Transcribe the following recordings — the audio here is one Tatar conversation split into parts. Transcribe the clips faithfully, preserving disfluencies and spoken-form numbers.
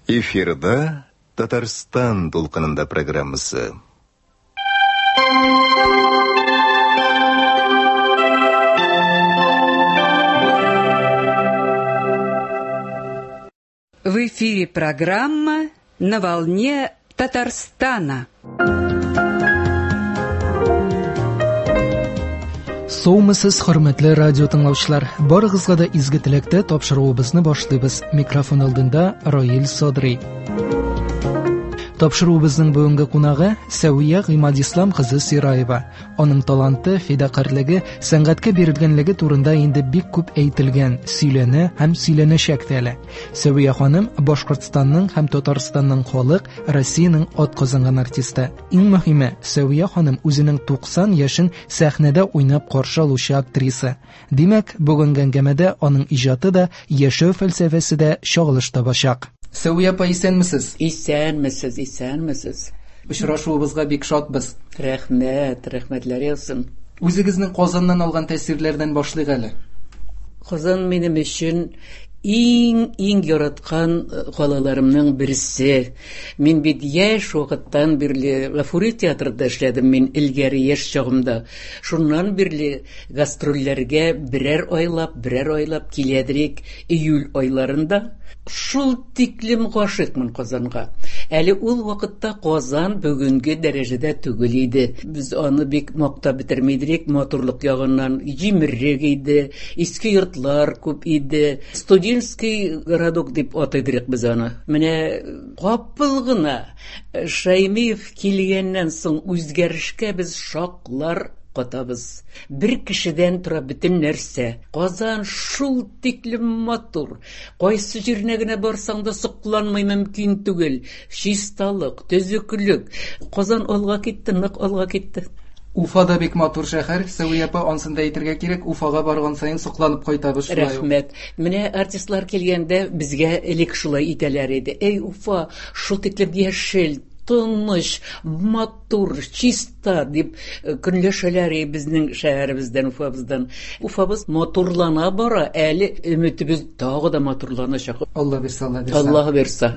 Эфирда Татарстан дулкынында программасы. В эфире программа «На волне Татарстана». Саумысыз, хөрмәтле радио тыңлаучылар. Барыгызга да изге теләктә тапшыруыбызны башлыйбыз. Микрофон алдында Раил Садри. Тапшыруыбызның бүгенге кунагы Сәвия Гыймадислам кызы Сираева. Аның таланты, фидакарьлеге, сәнгатькә бирелгәнлеге турында инде бик күп әйтелгән, сөйләнә һәм сөйләнәчәк тә әле. Сәвия ханым Башкортстанның һәм Татарстанның халык, Россиянең атказанган артисты. Иң мөһиме, Сәвия ханым үзенең туксан яшен сәхнәдә уйнап каршы алучы актриса. Димәк, бүгенге әңгәмәдә аның иҗаты да, яшәү фәлсәфәсе дә чагылыш табачак. Сәвия апа, исәнмесез? Исәнмесез, исәнмесез. Очрашуыбызга бик шатбыз. Рәхмәт, рәхмәтләр яусын. Үзегезнең Казаннан алган тәэсирләрдән башлыйк әле. Казан минем өчен иң, иң яраткан калаларымның берсе. Мин бит яшь вакыттан бирле Гафури театрында эшләдем мин элгәре яшь чагымда. Шуннан бирле гастрольләргә берәр айлап, берәр айлап киләдерек июль айларында. Шул тиклем гашыйкмын Казанга. Әле ул вакытта Казан бүгенге дәрәҗәдә түгел иде. Без аны бик мактап бетермидек, матурлык ягыннан җимерек иде, иске йортлар күп иде. Студенческий городок дип атыйдык без аны. Менә капыл гына Шаймиев килгәннән соң үзгәрешкә без шаклар катабыз. Бер кешедән тора бөтен нәрсә. Казан шул тиклем матур. Кайсы җиренә генә барсаң да сокланмый мөмкин түгел. Чисталык, төзеклек. Казан алга китте, нык алга китте. Уфа да бик матур шәһәр. Сәвия апа, ансын да әйтергә кирәк, Уфага барган саен сокланып кайтабыз шулай ук. Рәхмәт. Менә артистлар килгәндә безгә элек шулай итәләр иде. Эй, Уфа, шул тиклем яшел, тыныч, матур, чиста дип көнләшәләр безнең шәһәребездән, Уфабыздан. Уфабыз матурлана бара, әле өметебез тагы да матурланачак. Алла бирсә, Алла бирсә. Алла бирсә.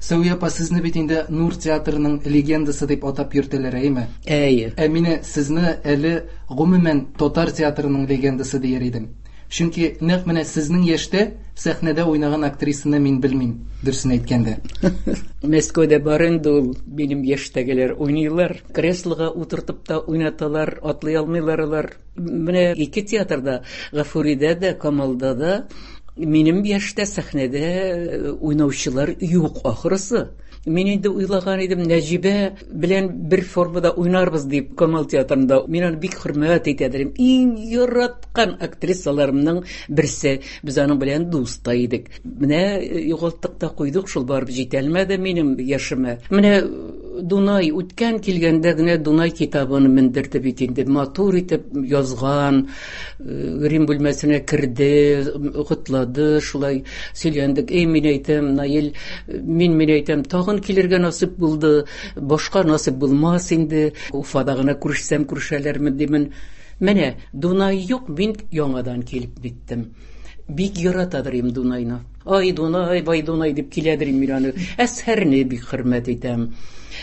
Сәвия апа, сезне бит инде Нур театрының легендасы дип атап йөртәләр, әйме? Әйе. Ә мине сезне әле гомумән татар театрының легендасы дияр идем. Чөнки нәкъ менә сезнең яшьтә сәхнәдә уйнаган актрисаны мин белмим, дөресен әйткәндә. Мәскәүдә бар инде ул, минем яшьтәгеләр уйныйлар, креслога утыртып та уйнаталар, атлый алмыйлар алар. Менә ике театрда, Гафуридә дә, Камалда да минем яшьтә сәхнәдә уйнаучылар юк ахрысы. Мин инде уйлаган идем, Нәҗибә белән бер формада уйнарбыз дип Камал театрында. Мин аны бик хөрмәт итә идем. Иң яраткан актрисаларымның берсе. Без аның белән дус та идек. Менә югалттык та куйдык, шул барып җитәлмәде минем яшемә. Менә Дунай үткән килгәндә генә Дунай китабын мендерде бит инде. Матур итеп язган, грим бүлмәсенә керде, котлады, шулай сөйләндек. Эй, мин әйтәм, Наил, мин, мин әйтәм, тагын килергә насыйп булды, башка насыйп булмас инде. Уфада гына күрешсәм, күрешәләрме димен. Менә Дунай юк, мин яңадан килеп биттем. Бик яратадыр им Дунайны. Ай, Дунай, бай Дунай дип киләдер им мин аны. Әсһәрне бик хөрмәт итәм.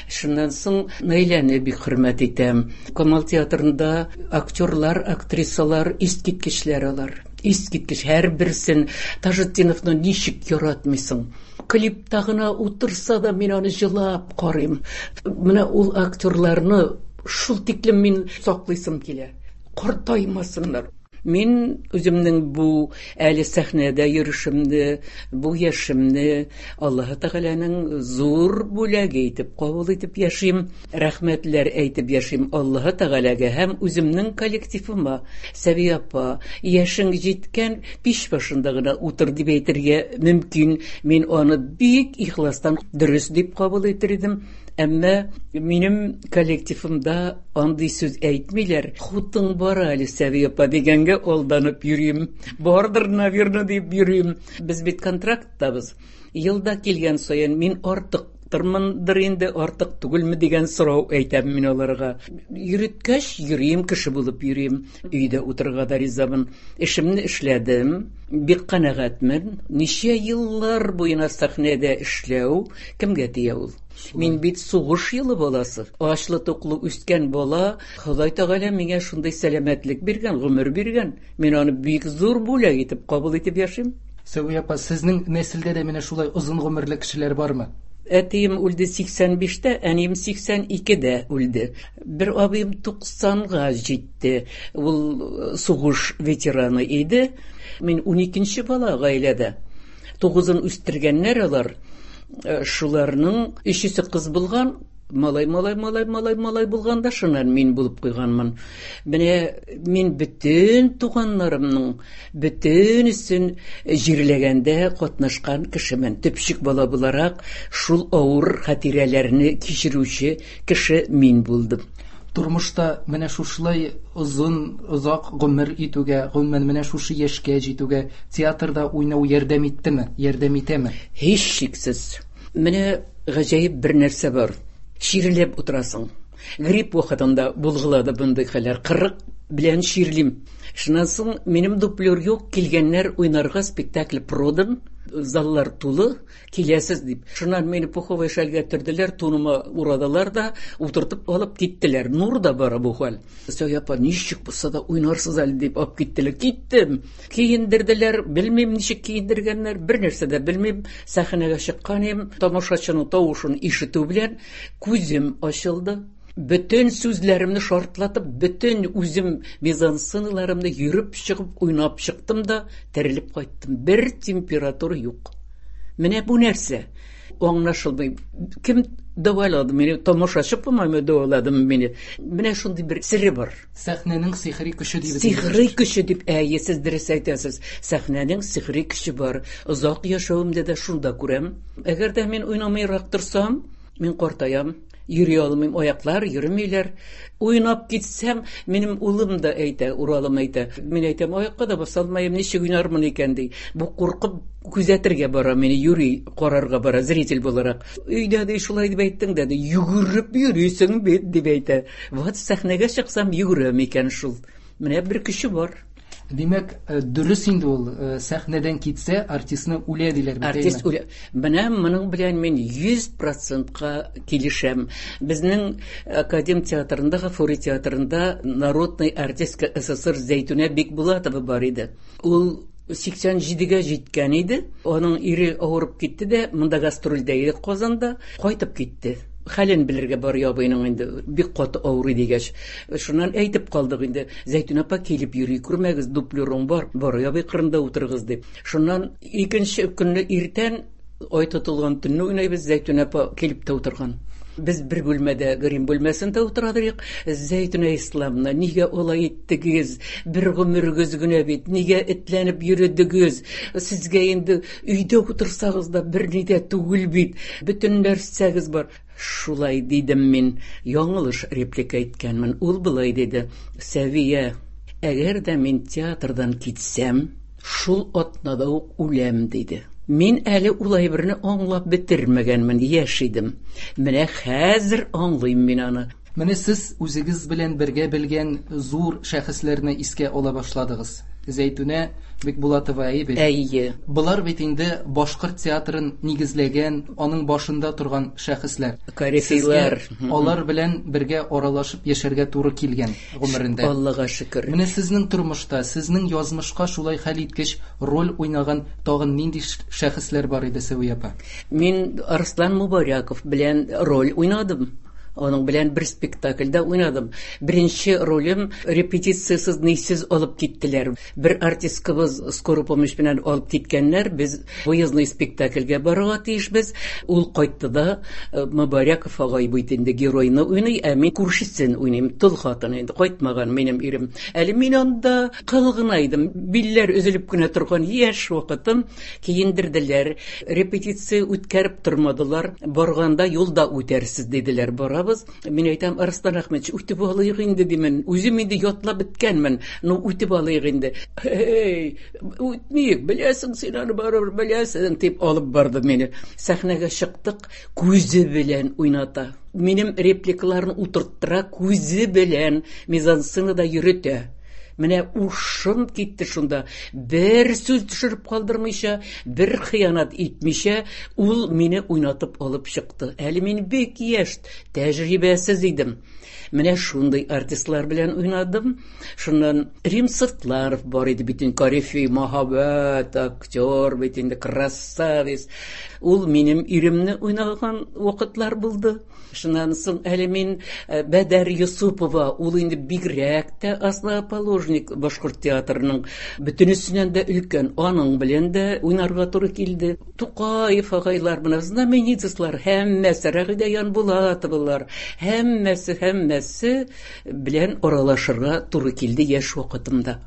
Шуннан соң Наиләне бик хөрмәт итәм. Камал театрында актерлар, актрисалар искиткечләр алар. Искиткеч һәрберсен. Таҗетдиновны ничек яратмыйсың? Клипта гына утырса да мин аны җылап карыйм. Менә ул актерларны шул тиклем мин саклыйсым килә. Картаймасыннар. Мин үземнең бу әле сәхнәдә йөрүшемне, бу яшемне Аллаһы Тәгаләнең зур бүләге итеп кабул итеп яшим. Рәхмәтләр әйтеп яшим Аллаһы Тәгаләгә һәм үземнең коллективыма. Сәвия апа, яшең җиткән, пич башында гына утыр дип әйтергә мөмкин. Мин аны бик ихластан дөрес дип кабул итер идем. Әмма минем коллективымда андый сүз әйтмиләр. Хутың бар әле, Сәвия апа дигәнгә алданып йөрим. Бардыр, наверно, дип йөрим. Без бит контракттабыз. Елда килгән саен мин артык артыктырмындыр инде, артык түгелме дигән сорау әйтәм мин аларга. Йөрткәч йөрим, кеше булып йөрим. Өйдә утырырга да ризамын. Эшемне эшләдем, бик канәгатьмен. Ничә еллар буена сәхнәдә эшләү кемгә тия ул? Мин бит сугыш елы баласы. Ачлы-туклы үскән бала, Ходай Тәгалә миңа шундый сәламәтлек биргән, гомер биргән. Мин аны бик зур бүләк итеп кабул итеп яшим. Сәвия апа, сезнең нәселдә дә менә шулай озын гомерле кешеләр бармы? Әтием үлде сиксән биштә, әнием сиксән икедә үлде. Бер абыем туксанга җитте. Ул сугыш ветераны иде. Мин уникенче бала гаиләдә. Тугызын үстергәннәр алар. Шуларның өчесе кыз булган, малай, малай, малай, малай, малай булган да шуннан мин булып куйганмын. Менә мин бөтен туганнарымның бөтенесен җирләгәндә катнашкан кешемен. Төпчек бала буларак шул авыр хатирәләрне кичерүче кеше мин булдым. Тормышта менә шушылай озын, озак гомер итүгә, гомумән менә шушы яшькә җитүгә театрда уйнау ярдәм иттеме, ярдәм итәме? Һичшиксез. Менә гаҗәеп бер нәрсә бар. Чирләп утырасың. Грипп вакытында булгылады мондый хәлләр. Кырык белән чирлим. Шуннан соң минем дуплер юк, килгәннәр уйнарга спектакль продан, заллар тулы, киләсез дип. Шуннан мине пуховый шәлгә төрделәр, туныма урадылар да, утыртып алып киттеләр. Нур да бара бу хәл. Сәвия апа, ничек булса да уйнарсыз әле дип алып киттеләр. Киттем. Киендерделәр, белмим ничек киендергәннәр, бер нәрсә дә белмим. Сәхнәгә чыккан идем, тамашачының тавышын ишетү белән күзем ачылды. Бөтен сүзләремне шартлатып, бөтен үзем мизансценаларымны йөреп чыгып, уйнап чыктым да терелеп кайттым. Бер температура юк. Менә бу нәрсә аңлашылмый. Кем дәвалады мине? Тамашачы по-моему дәвалады мине. Менә шундый бер сире бар. Сәхнәнең сихри көче дип. Сихри көче дип, әйе, сез дөрес әйтәсез. Сәхнәнең сихри көче бар. Озак яшәвемдә дә шунда күрәм. Әгәр дә мин уйнамыйрак торсам, мин картаям. Йөри алмыйм, аяклар йөрмиләр. Уйнап китсәм, минем улым да әйтә, Уралым әйтә. Мин әйтәм, аякка да баса алмыйм, ничек уйнармын икән ди. Бу куркып күзәтергә бара, мине йөри карарга бара, зритель буларак. Өйдә ди, шулай дип әйттең дә, ди, йөгереп йөрисең бит дип әйтә. Вот сәхнәгә чыксам, йөгерәм икән шул. Менә бер көче бар. Димәк, дөрес инде ул, сәхнәдән китсә, артистны үлә диләр бит, Артист үлә. Менә моның белән мин йөз процентка килешәм. Безнең Академ театрында, Гафури театрында народный артистка СССР Зәйтүнә Бикбулатова бар иде. Ул сиксән җидегә җиткән иде. Аның ире авырып китте дә, монда гастрольдә иде Казанда, кайтып китте. Хәлен белергә бар ябыйның инде, бик каты авырый дигәч. Шуннан әйтеп калдык инде, Зәйтүнә апа килеп йөри күрмәгез, дуплерың бар, бар ябый кырында утырыгыз дип. Шуннан икенче көнне иртән ай тотылган төнне уйнайбыз, Зәйтүнә апа килеп тә утырган. Без бер бүлмәдә, грим бүлмәсендә утырадык. Зәйтүнә Исламовна, нигә алай иттегез? Бер гомерегез генә бит, нигә этләнеп йөрдегез? Сезгә инде өйдә утырсагыз да бер ни дә түгел бит. Бөтен нәрсәгез бар. Шулай дидем мин, яңылыш реплика әйткәнмен. Ул былай диде: Сәвия, әгәр дә мин театрдан китсәм, шул атнада ук үләм, диде. Мин әле улай берне аңлап бетермәгәнмен, яшь идем. Менә хәзер аңлыйм мин аны. Менә сез үзегез белән бергә белгән зур шәхесләрне искә ала башладыгыз. Зәйтүнә Бикбулатова әйе бит? Әйе. Болар бит инде башкорт театрын нигезләгән, аның башында торган шәхесләр. Корифейлар. Сезгә алар белән бергә аралашып яшәргә туры килгән гомерендә. Аллага шөкер. Менә сезнең тормышта, сезнең язмышка шулай хәлиткеч роль уйнаган тагын нинди шәхесләр бар иде, Сәвия апа? Мин Арслан Мубаряков белән роль уйнадым. Аның белән бер спектакльдә уйнадым. Беренче ролем репетициясез, нисез алып киттеләр. Бер артисткабыз скорый помощь белән алып киткәннәр. Без выездной спектакльгә барырга тиешбез. Ул кайтты да, Мубаряков агай бит инде геройны уйный, ә мин күршесен уйныйм. Тол хатын инде кайтмаган минем ирем. Әле мин анда кыл гына идем. Билләр өзелеп кенә торган яшь вакытым. Киендерделәр. Репетиция үткәреп тормадылар. Барганда юлда үтәрсез диделәр. Барабыз. Утырабыз. Мин әйтәм, Арслан Әхмәтович, үтеп алыйк инде димен. Үзем инде ятлап беткәнмен. Ну, үтеп алыйк инде. Эй, үтмик, беләсең син аны барыбер беләсең, дип алып барды мине. Сәхнәгә чыктык, күзе белән уйната. Минем репликаларны утырттыра, күзе белән мизансценада йөрөтә. Менә ушым китте шунда. Бер сүз төшереп калдырмыйча, бер хыянат итмичә, ул мине уйнатып алып чыкты. Әле мин бик яшь, тәҗрибәсез идем. Менә шундый артистлар белән уйнадым. Шуннан Рим Сыртларов бар иде бит инде, корифей, мәһабәт актер бит инде, красавец. Ул минем иремне уйнаган вакытлар булды. Шуннан соң әле мин Бәдәр Юсупова, ул инде бигрәк тә основоположник башкорт театрының, бөтенесеннән дә өлкән, аның белән дә уйнарга туры килде. Тукаев агайлар, менә знаменитослар, һәммәсе, Рәгыйдә Янбулатовалар, һәммәсе, һәммәсе белән аралашырга туры килде яшь вакытымда.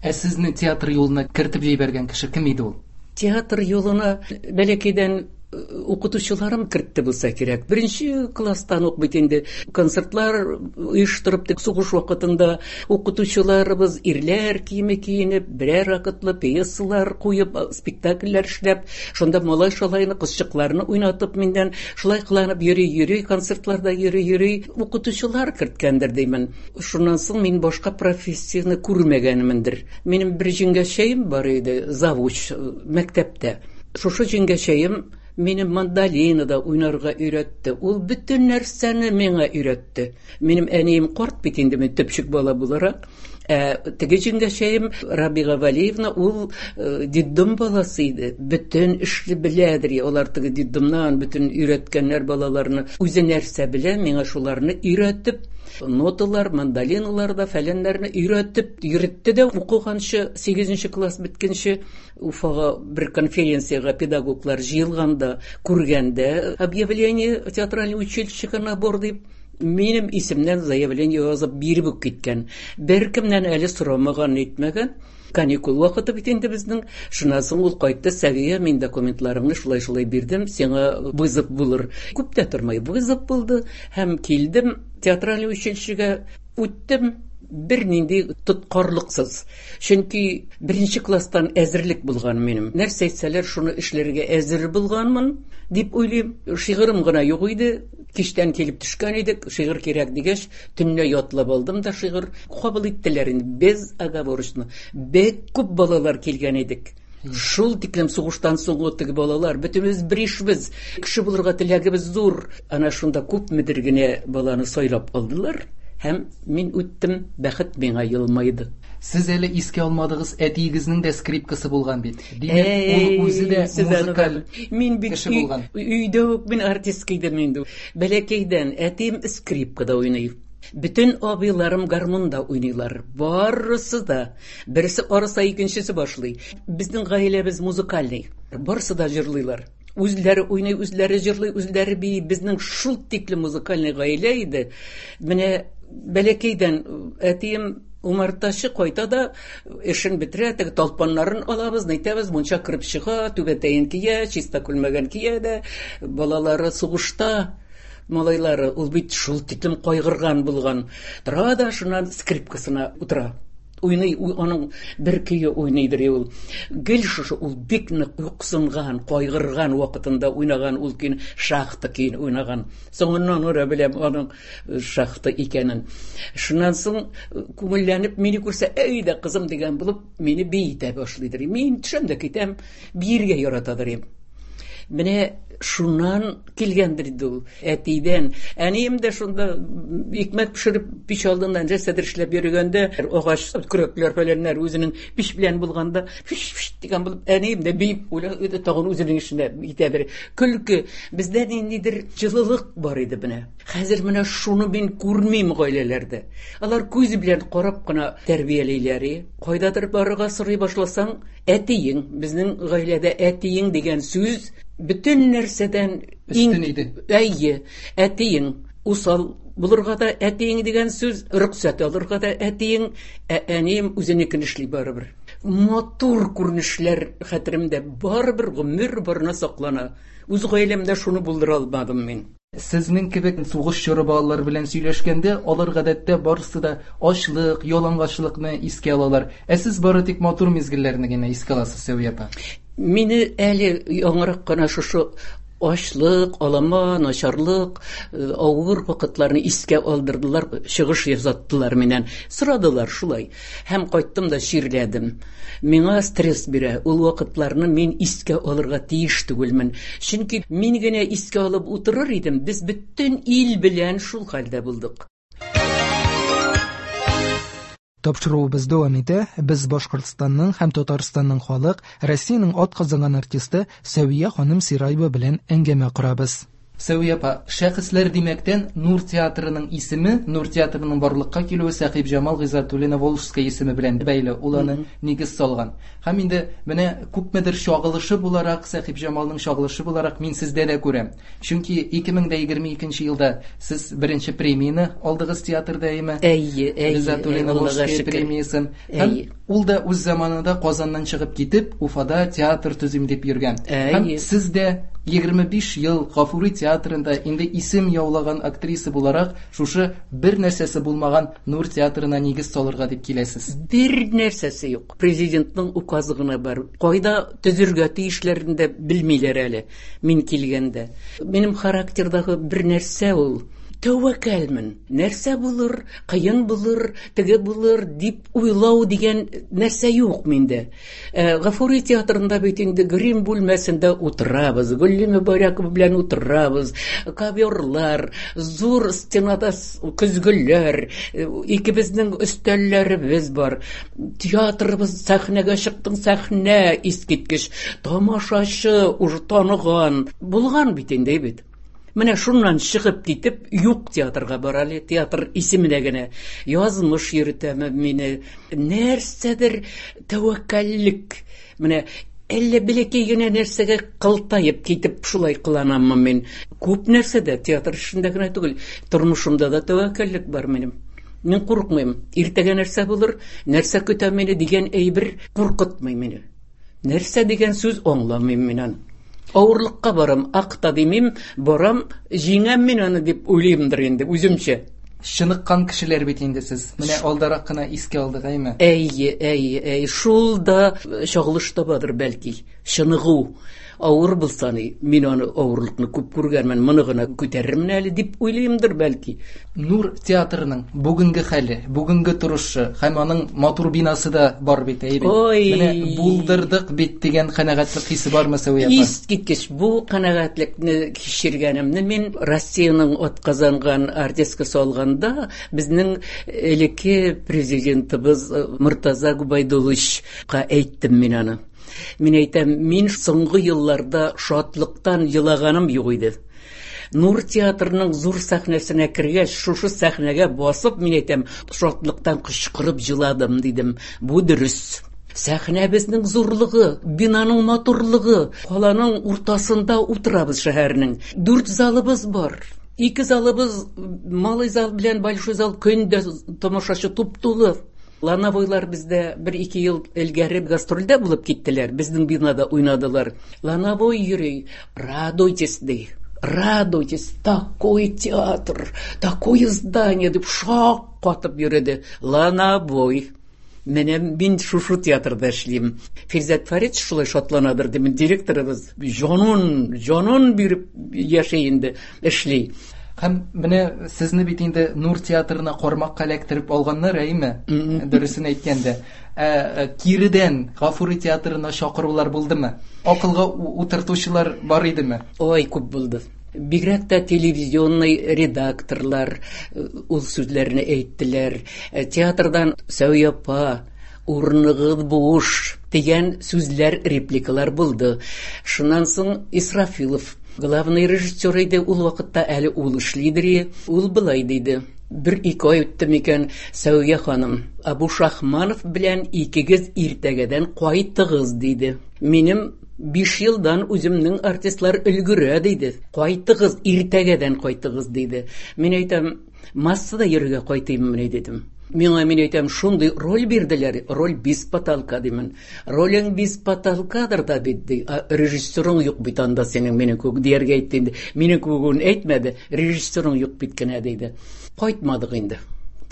Ә сезне театр юлына кертеп җибәргән кеше кем иде ул? Театр юлына бәләкәйдән укытучыларым кертте булса кирәк. Беренче класстан ук бит инде концертлар оештырып, тик сугыш вакытында укытучыларыбыз ирләр киеме киенеп, берәр вакытлы пьесалар куеп, спектакльләр эшләп, шунда малай-шалайны, кызчыкларны уйнатып миннән шулай кыланып йөри-йөри, концертларда йөри-йөри укытучылар керткәндер димен. Шуннан соң мин башка профессияне күрмәгәнмендер. Минем бер җиңгәчәем бар иде, завуч мәктәптә. Шушы җиңгәчәем минем мандолинада уйнарга өйрәтте. Ул бөтен нәрсәне миңа өйрәтте. Минем әнием карт бит инде, мин төпчек бала буларак. Ә теге җиңгәчәем Рабига Валиевна, ул детдом баласы иде. Бөтен эшне беләдер. Алар теге детдомнан бөтен өйрәткәннәр балаларны. Үзе нәрсә белә, миңа шуларны өйрәтеп, ноталар, мандолиналар да, фәләннәрне өйрәтеп йөртте дә укыганчы, сигезенче класс беткәнче Уфага бер конференциягә педагоглар җыелганда, күргәндә объявление театральный училищега набор дип, минем исемнән заявление язып биреп үк киткән. Беркемнән әле сорамаган, нитмәгән. Каникул вакыты бит инде безнең. Шуннан соң ул кайтты, Сәвия, мин документларымны шулай-шулай бирдем, сиңа вызов булыр. Күп тә тормый, вызов булды һәм килдем театральный училищега, үттем бернинди тоткарлыксыз. Чөнки беренче класстан әзерлек булган минем. Нәрсә әйтсәләр, шуны эшләргә әзер булганмын дип уйлыйм. Шигырым гына юк иде. Кичтән килеп төшкән идек, шигырь кирәк дигәч, төнлә ятлап алдым да шигырь кабул иттеләр инде, безоговорочно. Бик күп балалар килгән идек. Шул тиклем сугыштан соңгы теге балалар, бөтенебез беришбез, кеше булырга теләгебез зур. Ана шунда күпмедер генә баланы сайлап алдылар. Һәм мин үттем, бәхет миңа елмайды. Сез әле искә алмадыгыз, әтиегезнең дә скрипкасы булган бит. Димәк, ул үзе дә музыкаль мин бит кеше булган. Өйдә үк мин артистка идем инде. Бәләкәйдән әтием скрипкада уйный. Бөтен абыйларым гармунда уйныйлар. Барысы да. Берсе арыса, икенчесе башлый. Безнең гаиләбез музыкальный. Барысы да җырлыйлар. Үзләре уйный, үзләре җырлый, үзләре бии. Безнең шул тикле музыкальный гаилә иде. Менә бәләкәйдән әтием умартачы кайта да эшен бетерә, теге талпаннарын алабыз, нәйтәбез, мунча кереп чыга, түбәтәен кия, чиста күлмәген кия дә, балалары сугышта, малайлары, ул бит шул тиклем кайгырган булган. Тора да шуннан скрипкасына утыра. Уйный, аның бер көе уйныйдыр ул. Гел шушы ул бик нык юксынган, кайгырган вакытында уйнаган ул көйне, шахта көен уйнаган. Соңыннан ора беләм аның шахта икәнен. Шуннан соң күңелләнеп мине күрсә, әйдә кызым дигән булып мине биетә башлыйдыр. Мин төшәм дә китәм, биергә яратадыр. Менә шуннан килгәндер инде ул әтидән. Әнием дә шунда икмәк пешереп пич алдыннан нәрсәдер эшләп йөргәндә, агач көрәкләр фәләннәр үзенең пич белән булганда, фиш-фиш дигән булып әнием дә биеп уйла, тагын үзенең эшенә китә бер. Көлке, бездә ниндидер җылылык бар иде менә. Хәзер менә шуны мин күрмим гаиләләрдә. Алар күз белән карап кына тәрбиялиләр. Кайдадыр барырга сорый башласаң, әтиең, безнең гаиләдә әтиең дигән сүз бөтен нәрсәдән өстен иде. Әйе, әтиең усал булырга да әтиең дигән сүз, рөхсәт алырга да әтиең, ә әнием үзенекен эшли барыбер. Матур күренешләр хәтеремдә барыбер гомер барына саклана. Үз гаиләмдә шуны булдыра алмадым мин. Сезнең кебек сугыш чоры балалары белән сөйләшкәндә, алар гадәттә барысы да ачлык, ялангачлыкны искә алалар. Ә сез бары тик матур мизгелләрне генә искә аласыз, Сәвия апа. Мине әле яңарак кына шушы ачлык, алама, начарлык, авыр вакытларны искә алдырдылар, чыгыш ясаттылар миннән. Сорадылар шулай. Һәм кайттым да чирләдем. Миңа стресс бирә. Ул вакытларны мин искә алырга тиеш түгелмен. Чөнки мин генә искә алып утырыр идем, без бөтен ил белән шул хәлдә булдык. Тапшыруыбыз дәвам итә. Без Башкортстанның һәм Татарстанның халык, Россиянең атказанган артисты Сәвия ханым Сираева белән әңгәмә корабыз. Сәвия апа, шәхесләр димәктән Нур театрының исеме, Нур театрының барлыкка килүе Сәхибҗамал Гыйззәтуллина Волжская исеме белән бәйле. Ул аны нигез салган. Һәм инде менә күпмедер чагылышы буларак, Сәхибҗамалның чагылышы буларак мин сездә дә күрәм. Чөнки ике мең дә егерме икенче елда сез беренче премияне алдыгыз театрда, әйеме? Әйе, әйе, Гыйззәтуллина Волжская премиясен. Һәм ул да үз заманында Казаннан чыгып китеп, Уфада театр төзим дип йөргән. Һәм сез дә егерме биш ел Гафури театрында инде исем яулаган актриса буларак, шушы бер нәрсәсе булмаган Нур театрына нигез салырга дип киләсез. Бер нәрсәсе юк. Президентның указы гына бар. Кайда төзергә тиешләрен дә белмиләр әле мин килгәндә. Минем характердагы бер нәрсә ул. Тәвәккәлмен. Нәрсә булыр, кыен булыр, теге булыр дип уйлау дигән нәрсә юк миндә. Э, Гафури театрында бит инде грим бүлмәсендә утырабыз, Гөлли Мөбарәкова белән утырабыз, коверлар, зур стенада көзгеләр, икебезнең өстәлләребез бар. Театрыбыз сәхнәгә чыктың, сәхнә искиткеч, тамашачы уже таныган. Булган бит инде бит. Менә шуннан чыгып китеп, юк театрга бара әле, театр исеменә генә. Язмыш йөртәме мине, нәрсәдер тәвәккәллек. Менә әллә бәләкәй генә нәрсәгә кылтаеп китеп шулай кыланаммы мин. Күп нәрсәдә, театр эшендә генә түгел, тормышымда да тәвәккәллек бар минем. Мин курыкмыйм. Иртәгә нәрсә булыр, нәрсә көтә мине дигән әйбер куркытмый мине. Нәрсә дигән сүз аңламыйм мин аны. Авырлыкка барам, акта димим, барам, җиңәм мин аны дип уйлыймдыр инде үземчә. Чыныккан кешеләр бит инде сез. Менә алдарак кына искә алдык, әйме? Әйе, әйе, әйе. Шул да чагылыш табадыр бәлки. Чыныгу. Авыр булса ни, мин аны авырлыкны күп күргәнмен, моны гына күтәрермен әле дип уйлыймдыр бәлки. Нур театрының бүгенге хәле, бүгенге торышы һәм аның матур бинасы да бар бит, әйе бит? Ой. Менә булдырдык бит дигән канәгатьлек хисе бармы, Сәвия апа? Искиткеч. Бу канәгатьлекне кичергәнемне мин Россиянең атказанган артисткасы алганда безнең элекке президентыбыз Мортаза Губайдулловичка әйттем мин аны. Мин әйтәм, мин соңгы елларда шатлыктан елаганым юк иде. Нур театрының зур сәхнәсенә кергәч, шушы сәхнәгә басып, мин әйтәм, шатлыктан кычкырып җыладым, дидем. Бу дөрес. Сәхнәбезнең зурлыгы, бинаның матурлыгы, каланың уртасында утырабыз шәһәрнең. Дүрт залыбыз бар. Ике залыбыз, малый зал белән большой зал, көндә тамашачы туп-тулы. Лановойлар бездә бер-ике ел элгәре гастрольдә булып киттеләр, безнең бинада уйнадылар. Лановой йөри, радуйтесь, ди. Радуйтесь, такой театр, такое здание, дип шак катып йөрде. Лановой. Менә мин шушы театрда эшлим. Фирзәт Фарид шулай шатланадыр, дим, директорыбыз җанын, җанын биреп яши инде, эшли. Һәм менә сезне бит инде Нур театрына кармакка эләктереп алганнар, әйеме? Мгм. Дөресен әйткәндә. Ә, ә, киредән Гафури театрына чакырулар булдымы? Акылга у-, утыртучылар бар идеме? Ой, күп булды. Бигрәк тә телевизионный редакторлар, э, ул сүзләрне әйттеләр. Э, театрдан Сәвия апа, урыныгыз буш дигән сүзләр, репликалар булды. Шуннан соң Исрафилов главный режиссер иде, ул вакытта әле ул эшлидер. Ул былай диде: бер ике ай үтте микән, Сәвия ханым, Абу Шахманов белән икегез иртәгәдән кайтыгыз, диде. Минем биш елдан үземнең артистлар өлгерә, диде. Кайтыгыз, иртәгәдән кайтыгыз, диде. Мин әйтәм, массада йөрергә кайтыйммыни, дидем. Миңа, мин әйтәм, шундый роль бирделәр, роль без потолка димен. Ролең без потолкадыр да бит, ди. Режиссерың юк бит анда синең, минем күк дияргә әйтте инде. Минем күгүн әйтмәде, режиссерың юк бит кенә диде. Кайтмадык инде.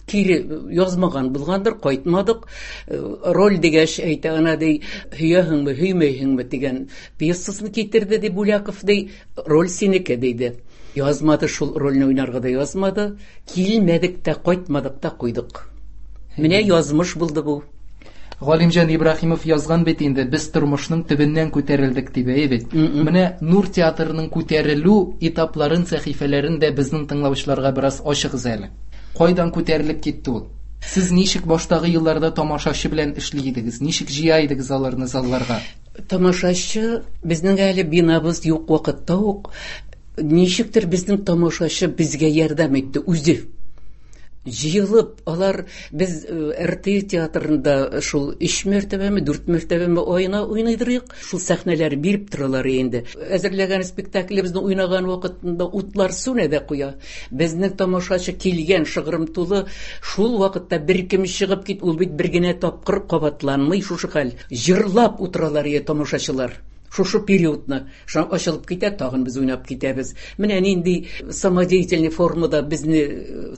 Кире язмаган булгандыр, кайтмадык. Роль дигәч әйтә, ана ди, һөяһеңме, һөймәйһеңме дигән пьесасын китерде ди Буляков ди, роль синеке диде. Язмады, шул рольне уйнарга да язмады. Килмәдек тә, кайтмадык та куйдык. Менә язмыш булды бу. Галимҗан Ибраһимов язган бит инде, без тормышның төбеннән күтәрелдек дип, әйе бит. Менә Нур театрының күтәрелү этапларын, сәхифәләрен дә безнең тыңлаучыларга бераз ачыгыз әле. Кайдан күтәрелеп китте ул? Сез ничек баштагы елларда тамашачы белән эшли идегез? Ничек җыя идегез аларны залларга? Тамашачы безнең әле бинабыз юк вакытта ук ничектер безнең тамашачы безгә ярдәм итте үзе. Җыелып, алар без эр тэ театрында шул өч мәртәбәме, дүрт мәртәбәме аена уйныйдырык, шул сәхнәләр биреп торалар инде. Әзерләгән спектаклебезне уйнаган вакытында утлар сүнә дә куя. Безнең тамашачы килгән шыгрым тулы, шул вакытта бер кем чыгып кит, ул бит бер генә тапкыр кабатланмый шушы хәл. Җырлап утыралар ие тамашачылар. Шушы периодны шуны ачылып китә, тагын без уйнап китәбез. Менә нинди самодеятельный формада безне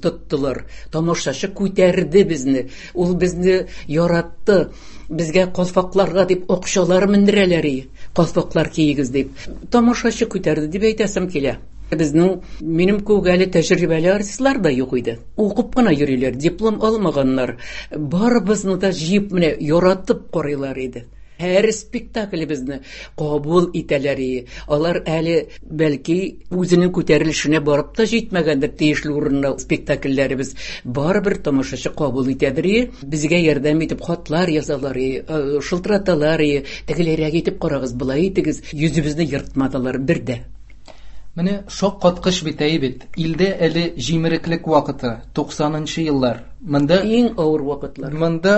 тоттылар. Тамашачы күтәрде безне. Ул безне яратты. Безгә калфакларга дип акчалар мендерәләр ие. Калфаклар киегез дип. Тамашачы күтәрде дип әйтәсем килә. Безнең, минем күк әле тәҗрибәле артистлар да юк иде. Укып кына йөриләр, диплом алмаганнар. Барыбызны да җыеп менә яратып карыйлар иде. Һәр спектаклебезне кабул итәләр ие. Алар әле бәлки үзенең күтәрелешенә барып та җитмәгәндер тиешле урынына спектакльләребез. Барыбер тамашачы кабул итәдер ие. Безгә ярдәм итеп хатлар язалар ие, шылтыраталар ие. Тегеләрәк итеп карагыз, былай итегез. Йөзебезне ертмадылар бер дә. Менә шаккаткыч бит, әй бит. Илдә әле җимереклек вакыты, туксанынчы еллар. Монда иң авыр вакытлар. Монда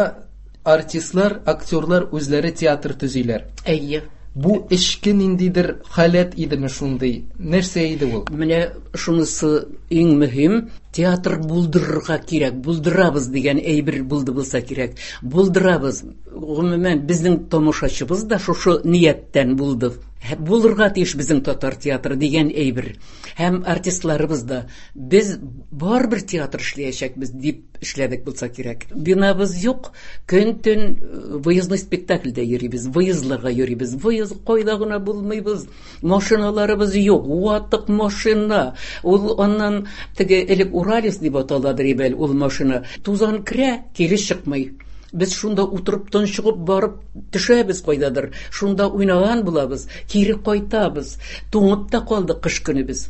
артистлар, актерлар үзләре театр төзиләр. Әйе. Бу эчке ниндидер халәт идеме шундый? Нәрсә иде ул? Менә шунысы иң мөһим, театр булдырырга кирәк, булдырабыз дигән әйбер булды булса кирәк. Булдырабыз. Гомумән, безнең тамашачыбыз да шушы нияттән булды. Булырга тиеш безнең татар театры дигән әйбер. Һәм артистларыбыз да без барыбер театр эшләячәкбез дип эшләдек булса кирәк. Бинабыз юк, көн-төн выездной спектакльдә йөрибез, выездларга йөрибез. Выезд кайда гына булмыйбыз. Машиналарыбыз юк, ватык машина. Ул аннан теге элек Уралис дип аталадыр ибәл ул машина. Тузан керә, кире чыкмый. Без шунда утырып тончыгып барып төшәбез кайдадыр. Шунда уйнаган булабыз, кире кайтабыз. Туңып та калдык кыш көне без.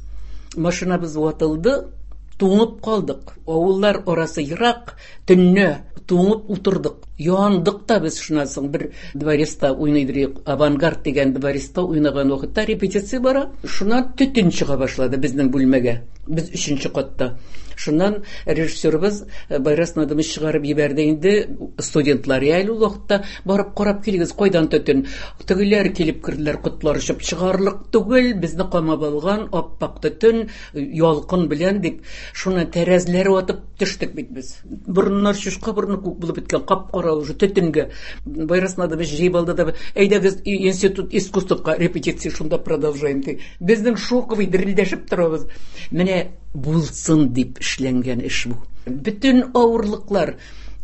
Машинабыз ватылды, туңып калдык. Авыллар арасы ерак, төнне туңып утырдык. Яндык та без шуннан соң бер дворецта уйныйдыр, Авангард дигән дворецта уйнаган вакытта репетиция бара. Шуннан төтен чыга башлады безнең бүлмәгә. Без өченче катта. Шуннан режиссерыбыз Байрас Надымович чыгарып җибәрде инде студентлар әле ул вакытта барып карап килегез, кайдан төтен. Тегеләр килеп керделәр, котлар очып чыгарлык түгел, безне камап алган аппак төтен, ялкын белән дип, шуны тәрәзләр ватып төштек бит без. Борыннар чушка борыны күк булып беткән, кап-кара уже төтенгә. Байрас Надымович җыеп алды да, әйдәгез институт искусствка репетиция шунда продолжаем ди. Безнең шоковый дерелдәшеп торабыз. Менә булсын дип эшләнгән эш бу. Бөтен авырлыклар,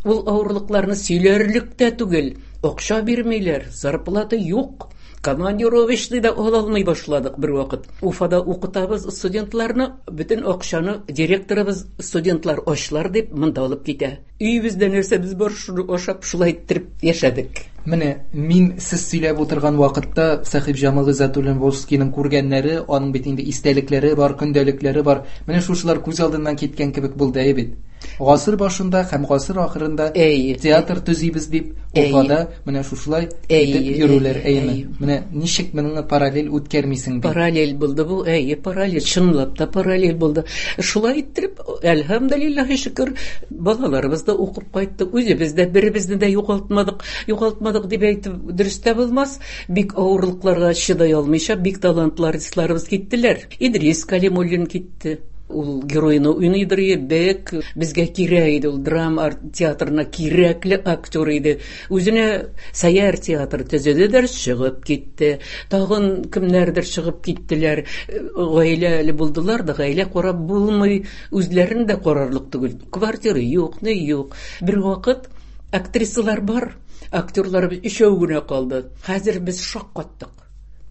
ул авырлыкларны сөйләрлек тә түгел. Акча бирмиләр, зарплата юк. Командировочный да ала алмый башладык бер вакыт. Уфада укытабыз студентларны, бөтен акчаны директорыбыз студентлар ачлар дип монда алып китә. Өебездә нәрсәбез бар, шуны ашап шулай иттереп яшәдек. Менә мин сез сөйләп утырган вакытта Сәхибҗамал Гыйззәтуллин-Волжскийның күргәннәре, аның бит инде истәлекләре бар, көндәлекләре бар. Менә шушылар күз алдыннан киткән кебек булды, әйе бит. Гасыр башында һәм гасыр ахырында Әйе. театр төзибез дип Әйе. Уфада менә шушылай Әйе, итеп йөрүләр, әйе, әйеме? әйе. Менә ничек моны параллель үткәрмисең бит? Параллель булды бу, әйе, параллель, чынлап та параллель булды. Шулай иттереп, әлхәмдүлилләһи шөкер, балаларыбыз да укып кайтты, үзебез дә беребезне дә югалтмадык. Югалтмадык дип әйтеп дөрес тә булмас. Бик авырлыкларга чыдай алмыйча, бик талантлы артистларыбыз киттеләр. Идрис Калимуллин китте. Ул геройны уйныйдыр бек, безгә кирәк иде ул, драма театрына кирәкле актер иде. Үзенә Сәйяр театры төзеде дә чыгып китте. Тагын кемнәрдер чыгып киттеләр. Гаиләле булдылар да, гаилә карап булмый, үзләрен дә карарлык түгел. Квартира юк, ни юк. Бер вакыт актрисалар бар, актерлар өчәү генә калды. Хәзер без шаккаттык.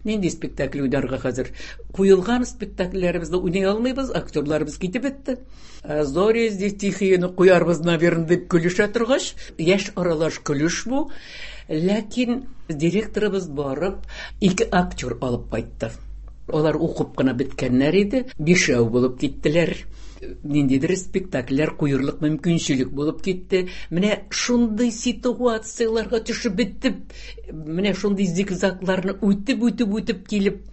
Нинди спектакль уйнарга хәзер? Куелган спектакльләребезне уйный алмыйбыз, актерларыбыз китеп бетте. Зори здесь тихие куярбыз, наверное, дип көлешә торгач, яшь аралаш көлеш бу. Ләкин директорыбыз барып, ике актер алып кайтты. Алар укып кына беткәннәр иде, бишәү булып киттеләр. Ниндидер спектакльләр куерлык мөмкинчелек булып китте. Менә шундый ситуацияләргә төшеп бетеп, менә шундый зигзагларны үтеп-үтеп үтеп килеп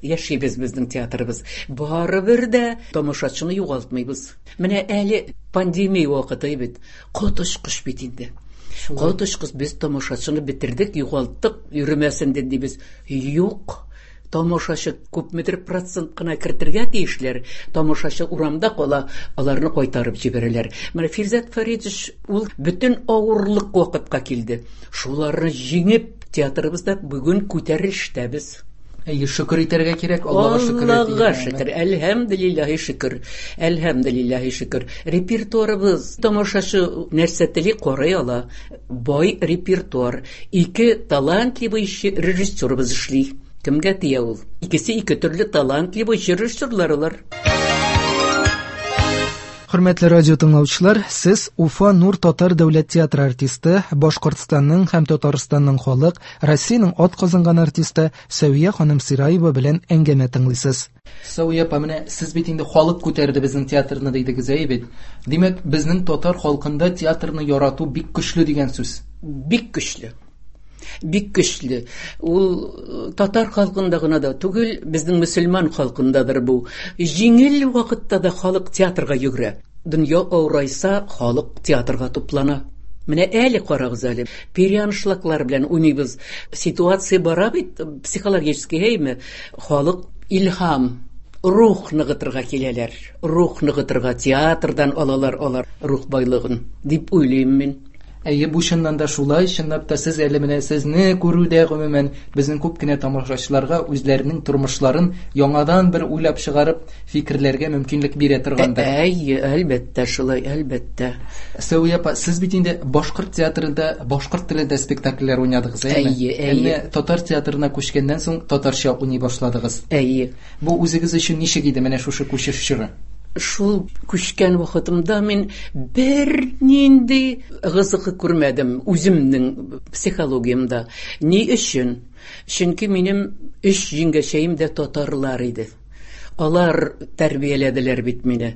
яшибез безнең театрыбыз. Барыбер дә тамашачыны югалтмыйбыз. Менә әле пандемия вакыты бит. Коточкыч бит инде. Коточкыч, без тамашачыны бетердек, югалттык, йөрмәсен дибез. Юк. Тамашачы күпмедер процент кына кертергә тиешләр. Тамашачы урамда кала, аларны кайтарып җибәрәләр. Менә Фирзәт Фәритович ул бөтен авырлык вакытка килде. Шуларны җиңеп, театрыбызда бүген күтәрелештәбез. Әйе, шөкер итәргә кирәк, Аллага шөкер. Аллага шөкер, әлхәмдүлиллаһи шөкер. Әлхәмдүлиллаһи шөкер. Репертуарыбыз тамашачы нәрсә тели карый ала. Бай репертуар. Ике талантливый режиссерыбыз эшли. Кемгә тия ул? Икесе ике төрле талантливый режиссерлар алар. Хөрмәтле радио тыңлаучылар, сез Уфа Нур Татар дәүләт театры артисты, Башкортстанның һәм Татарстанның халык, Россиянең атказанган артисты Сәвия ханым Сираева белән әңгәмә тыңлыйсыз. Сәвия апа, менә сез бит инде халык күтәрде безнең театрны дидегез, әйе бит? Димәк, безнең татар халкында театрны ярату бик көчле дигән сүз. Бик көчле. Бик көчле. Ул татар халкында гына да түгел, безнең мөселман халкындадыр бу. Җиңел вакытта да халык театрга йөгерә. Дөнья авырайса, халык театрга туплана. Менә әле карагыз әле, переаншлаклар белән уйныйбыз. Ситуация бара бит, психологический, әйме? Халык илһам, рух ныгытырга киләләр. Рух ныгытырга театрдан алалар алар рух байлыгын, дип уйлыйм мин. Әйе, бу чыннан да шулай, чынлап та сез әле менә сезне күрүдә гомумән безнең күп кенә тамашачыларга үзләренең тормышларын яңадан бер уйлап чыгарып фикерләргә мөмкинлек бирә торгандыр. Әйе, әлбәттә шулай, әлбәттә. Сәвия апа, сез бит инде башкорт театрында башкорт телендә спектакльләр уйнадыгыз, әйеме? Әйе, әйе. Әмма татар театрына күчкәннән соң татарча уйный башладыгыз. Әйе. Бу үзегез өчен ничек иде менә шушы күчеш чоры? Шул күчкән вакытымда мин бер нинди гызыгы күрмәдем үземнең психологиямдә. Ни өчен? Чөнки минем өч җиңгәчәем дә татарлар иде. Алар тәрбияләделәр бит мине.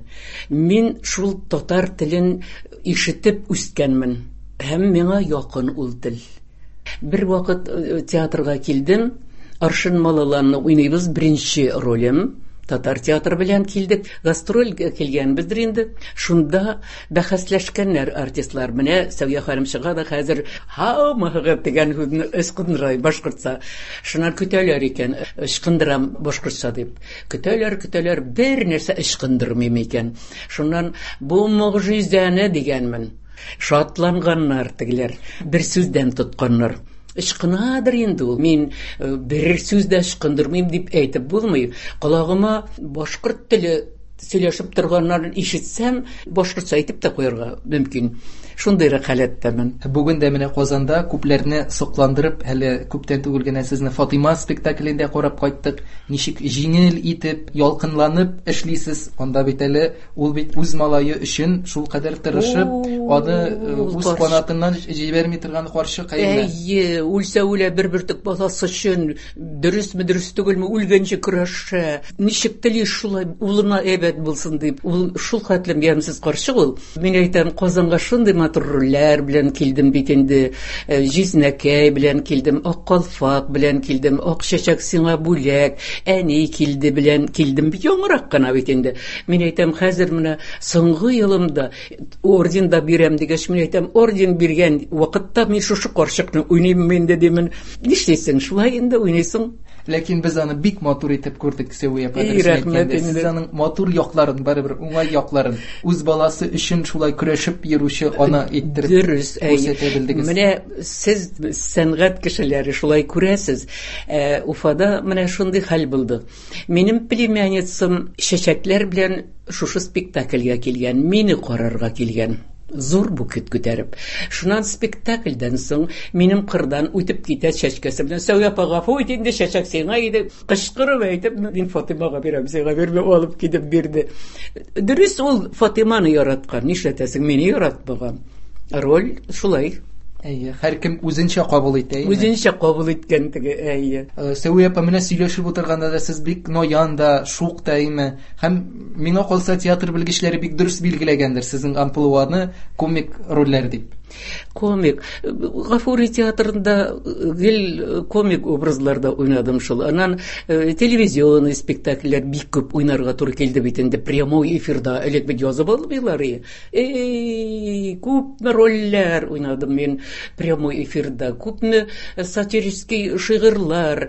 Мин шул татар телен ишетеп үскәнмен. Һәм миңа якын ул тел. Бер вакыт театрга килдем, Аршын Малаланны уйныйбыз, беренче ролем. Татар театры белән килдек, гастроль килгәнбездер инде. Шунда бәхәсләшкәннәр артистлар. Менә Сәвия ханым чыга да хәзер һаумыгы дигән сүзне ычкындыра башкортча. Шуннан көтәләр икән, ычкындырам башкортча дип. Көтәләр, көтәләр, бер нәрсә ычкындырмыйм икән. Шуннан бу могҗизәне дигәнмен. Шатланганнар тегеләр, бер сүздән тотканнар. Ычкынадыр инде ул. Мин бер сүз дә ычкындырмыйм дип әйтеп булмый. Колагыма башкорт теле сөйләшеп торганнарын ишетсәм, башкортча әйтеп тә куярга мөмкин. Шундыйрак халәттәмен. Бүген дә менә Казанда күпләрне сокландырып, әле күптән түгел генә сезне Фатима спектаклендә карап кайттык. Ничек җиңел итеп, ялкынланып эшлисез. Анда бит әле ул бит үз малае өчен шул кадәр тырышып, аны үз канатыннан җибәрми торган карчык әйме. Әйе, үлсә үлә бер бөртек баласы өчен, дөресме, дөрес түгелме, үлгәнче көрәшә. Ничек тели шулай улына әйбәт булсын дип. Ул шул хәтлем ямьсез карчык ул. Мин әйтәм, Казанга шундый матур рольләр белән килдем бит инде. Җизнәкәй белән килдем, Ак калфак белән килдем, Ак чәчәк сиңа бүләк, әни килде белән килдем. Яңарак кына бит инде. Мин әйтәм, хәзер менә соңгы елымда орден да бирәм дигәч, мин әйтәм, орден биргән вакытта мин шушы карчыкны уйныйм инде димен. Нишлисең, шулай инде уйныйсың. Ләкин без аны бик матур итеп күрдек, Сәвия апа. Сез аның матур якларын, барыбер уңай якларын, үз баласы өчен шулай көрәшеп йөрүче ана иттереп күрсәтә белдегез. Менә сез сәнгать кешеләре шулай күрәсез. Уфада менә шундый хәл булды. Минем племянницам чәчәкләр белән шушы спектакльгә килгән, мине карарга килгән. Зур букет күтәреп. Шуннан спектакльдән соң минем кырдан үтеп китә чәчкәсе белән. Сәвия апа, гафу ит инде, чәчәк сиңа иде. Кычкырып әйтеп, мин Фатимага бирәм, сиңа бирмәм, алып китеп бирде. Дөрес, ул Фатиманы яраткан, нишләтәсең, мине яратмаган. Роль шулай. Әйе, һәркем үзенчә кабул итә. Үзенчә кабул иткән теге, әйе. Сәвия апа, менә сөйләшеп утырганда да сез бик ноян да, шук та име. Һәм миңа калса театр белгечләре бик дөрес билгеләгәндер сезнең амплуаны комик рольләр дип. Комик. Гафури театрында гел комик образларда уйнадым шул. Аннан телевизионный спектакльләр бик күп уйнарга туры килде бит инде. Прямой эфирда элек бит язып алмыйлар. Эй, күпме рольләр уйнадым мин прямой эфирда, күпме сатирический шигырьләр,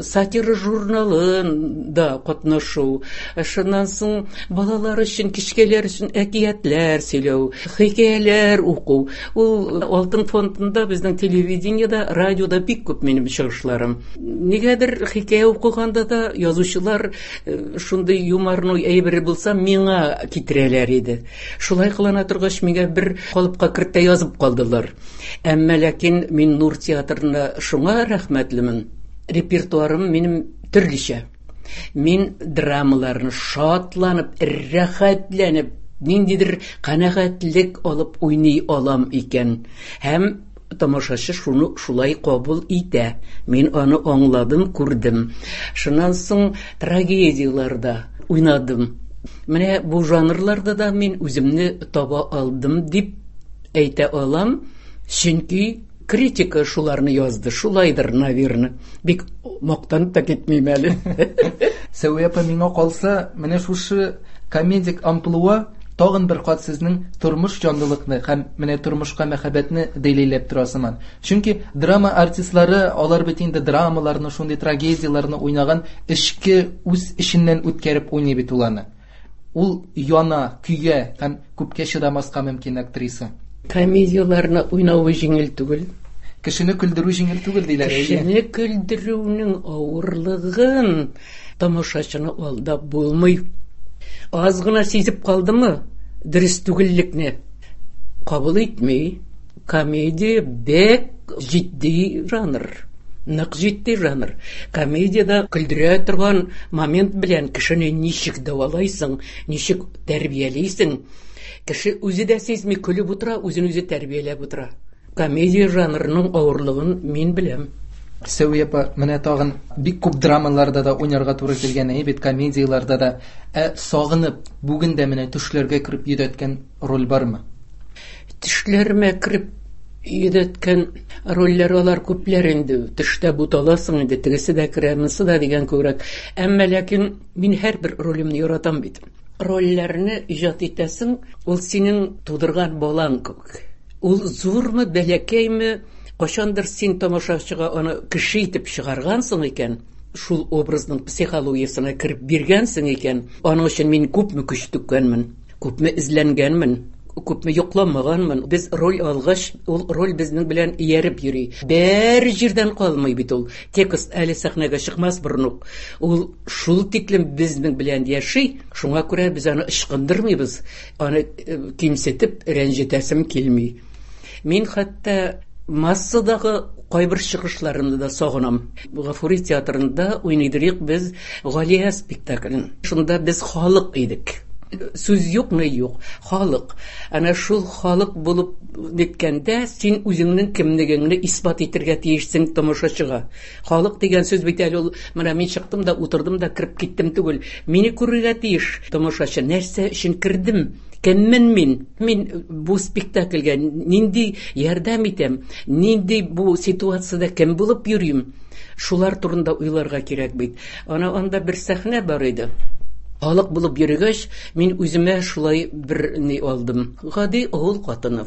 сатира журналында катнашу. Шуннан соң балалар өчен, кечкенәләр өчен әкиятләр сөйләү, хикәяләр уку. Ул Алтын фондында безнең телевидениедә, радиода бик күп минем чыгышларым. Нигәдер хикәя укыганда да язучылар шундый юморной әйбер булса миңа китерәләр иде. Шулай кылана торгач, миңа бер калыпка кертә язып калдылар. Әмма ләкин мин Нур театрына шуңа рәхмәтлемен. Репертуарым минем төрлечә. Мин драмаларны шатланып, рәхәтләнеп, ниндидер канәгатьлек алып уйный алам икән. Һәм тамашачы шуны шулай кабул итә. Мин аны аңладым, күрдем. Шуннан соң трагедияләрдә уйнадым. Менә бу жанрларда да мин үземне таба алдым дип әйтә алам, чөнки критика шуларны язды. Шулайдыр, наверное. Бик мактанып та китмим әле. Сәвия апа, миңа калса, менә шушы комедик амплуа тагын бер кат сезнең тормыш җанлылыкны һәм менә тормышка мәхәббәтне дәлилләп тора сыман. Чөнки драма артистлары, алар бит инде драмаларны, шундый трагедияләрне уйнаган, эчке үз эченнән үткәреп уйный бит ул аны. Ул яна, көя һәм күпкә чыдамаска мөмкин актриса. Комедияләрне уйнавы җиңел түгел. Кешене көлдерү җиңел түгел диләр. Кешене көлдерүнең авырлыгын тамашачыны алдап булмый. Аз гына сизеп калдымы, дөрес түгеллекне кабул итми. Комедия бик җитди жанр. Нык җитди жанр. Комедиядә көлдерә торган момент белән кешене ничек дәвалайсың, ничек тәрбиялисең. Кеше үзе дә сизми көлеп утыра, үзен үзе тәрбияләп утыра. Комедия жанрының авырлыгын мин беләм. Сәвия апа, менә тагын бик күп драмаларда да уйнарга туры килгән, әйе бит, комедияләрдә дә. Ә сагынып, бүген дә менә төшләргә кереп йөдәткән роль бармы? Төшләремә кереп йөдәткән рольләр алар күпләр инде. Төштә буталасың инде, тегесе дә керә, монысы да дигән күбрәк. Әмма ләкин мин һәрбер ролемне яратам бит. Рольләрне иҗат итәсең, ул синең тудырган балаң күк. Ул зурмы, бәләкәйме, кайчандыр син тамашачыга аны кеше итеп чыгаргансың икән, шул образның психологиясенә кереп биргәнсең икән, аның өчен мин күпме көч түккәнмен, күпме эзләнгәнмен, күпме йокламаганмын. Без роль алгач, ул роль безнең белән ияреп йөри. Бер җирдән калмый бит ул. Текст әле сәхнәгә чыкмас борын ук. Ул шул тиклем безнең белән яши, шуңа күрә без аны ычкындырмыйбыз. Аны кимсетеп рәнҗетәсем килми. Мин хәтта массадагы кайбер чыгышларымны да сагынам. Гафури театрында уйныйдык без Галия спектаклен. Шунда без халык идек. Сүз юк, ни юк, халык. Ана шул халык булып ниткәндә син үзеңнең кемлегеңне исбат итәргә тиешсең тамашачыга. Халык дигән сүз бит әле ул, менә мин чыктым да утырдым да кереп киттем түгел. Мине күрергә тиеш тамашачы. Нәрсә өчен кердем? Кеммен мин? Мин бу спектакльгә нинди ярдәм итәм? Нинди бу ситуацияда кем булып йөрим? Шулар турында уйларга кирәк бит. Ана анда бер сәхнә бар иде. Халык булып йөргәч, мин үземә шулай бер ни алдым. Гади авыл хатыны.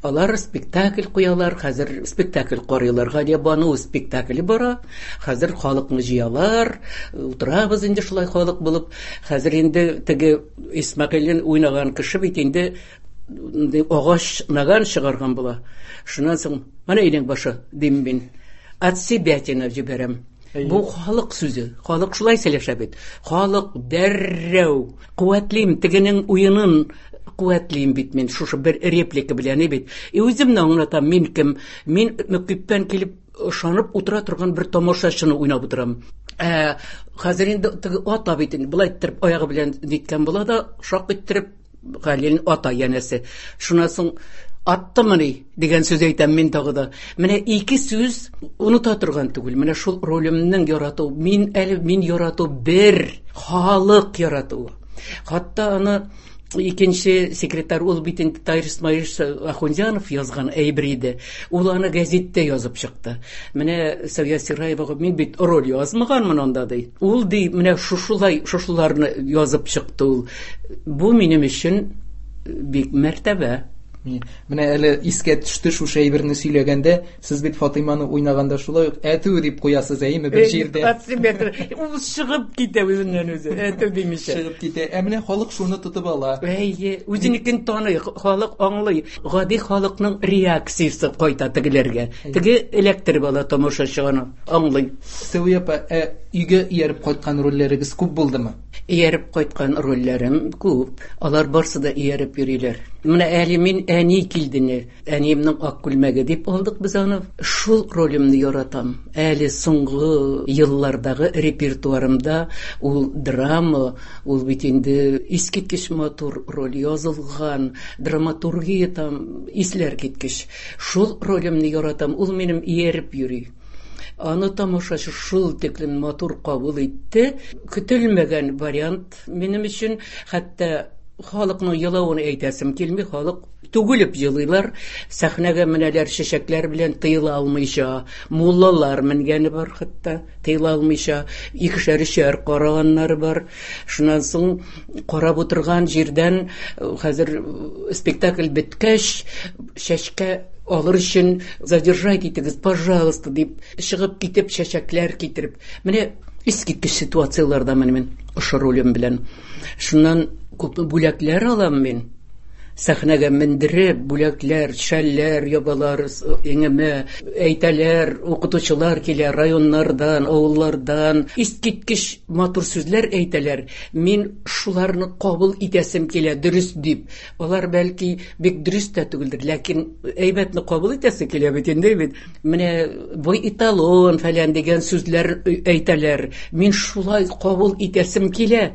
Алар спектакль куялар, хәзер спектакль карыйлар. Галиябану спектакле бара. Хәзер халыкны җыялар. Утырабыз инде шулай халык булып. Хәзер инде теге Исмәгыйлен уйнаган кеше бит инде агач наган чыгарган була. Шуннан соң менә өйнең башы дим мин. От себятина җибәрәм. Бу халык сүзе. Халык шулай сөйләшә бит. Халык дәррәү куәтлим тегенең уенын куәтлим бит мин шушы бер реплика белән бит. И үземне аңлатам, мин кем? Мин мөкиббән килеп ышанып утыра торган бер тамашачыны уйнап утырам. Ә хәзер инде теге ата бит инде былай иттереп аягы белән диткән була да шак иттереп Галилен ата янәсе. Шуннан соң аттымыни дигән сүз әйтәм мин тагы да. Менә ике сүз оныта торган түгел. Менә шул ролемнең ярату, мин әле мин ярату бер халык яратуы. Хатта аны икенче секретарь ул бит инде Таһир Исмаилович Ахунзянов язган әйбер иде. Ул аны гәзиттә язып чыкты. Менә Сәвия Сираевага мин бит роль язмаганмын анда ди. Ул ди менә шушулай шушуларны язып чыкты ул. Бу минем өчен бик мәртәбә. Менә әле искә төште шушы әйберне сөйләгәндә, сез бит Фатыйманы уйнаганда шулай ук әтү дип куясыз, әйеме, бер җирдә. Ул чыгып китә үзеннән үзе, әтү димичә. Чыгып китә. Ә менә халык шуны тотып ала. Әйе, үзенекен таный, халык аңлый. Гади халыкның реакциясе кайта тегеләргә. Теге эләктереп ала тамашачы аны, аңлый. Сәвия апа, ә өйгә ияреп кайткан рольләрегез күп булдымы? Ияреп кайткан рольләрем күп. Алар барсы да ияреп йөриләр. Менә әле мин әни килдене, әниемнең ак күлмәге дип алдык без аны. Шул ролемне яратам. Әле соңгы еллардагы репертуарымда ул драма, ул бит инде искиткеч матур роль язылган, драматургия там исләр киткеч. Шул ролемне яратам, ул минем ияреп йөри. Аны тамашачы шул тиклем матур кабул итте. Көтелмәгән вариант минем өчен, хәтта халыкның елавын әйтәсем килми, халык түгелеп елыйлар. Сәхнәгә менәләр чәчәкләр белән тыела алмыйча, муллалар менгәне бар хәтта, тыела алмыйча, икешәр өчәр караганнары бар. Шуннан соң карап утырган җирдән хәзер спектакль беткәч, чәчкә алыр өчен задержать итегез, пожалуйста, дип чыгып китеп чәчәкләр китереп. Менә искиткеч ситуацияләрдә менә мин ошо ролем белән. Шуннан күп бүләкләр алам мин. Сәхнәгә мендереп, бүләкләр, шәлләр ябалар иңемә, әйтәләр, укытучылар килә районнардан, авыллардан, искиткеч матур сүзләр әйтәләр. Мин шуларны кабул итәсем килә, дөрес дип. Алар бәлки бик дөрес тә түгелдер, ләкин әйбәтне кабул итәсе килә бит инде бит. Менә бу эталон фәлән дигән сүзләр әйтәләр. Мин шулай кабул итәсем килә,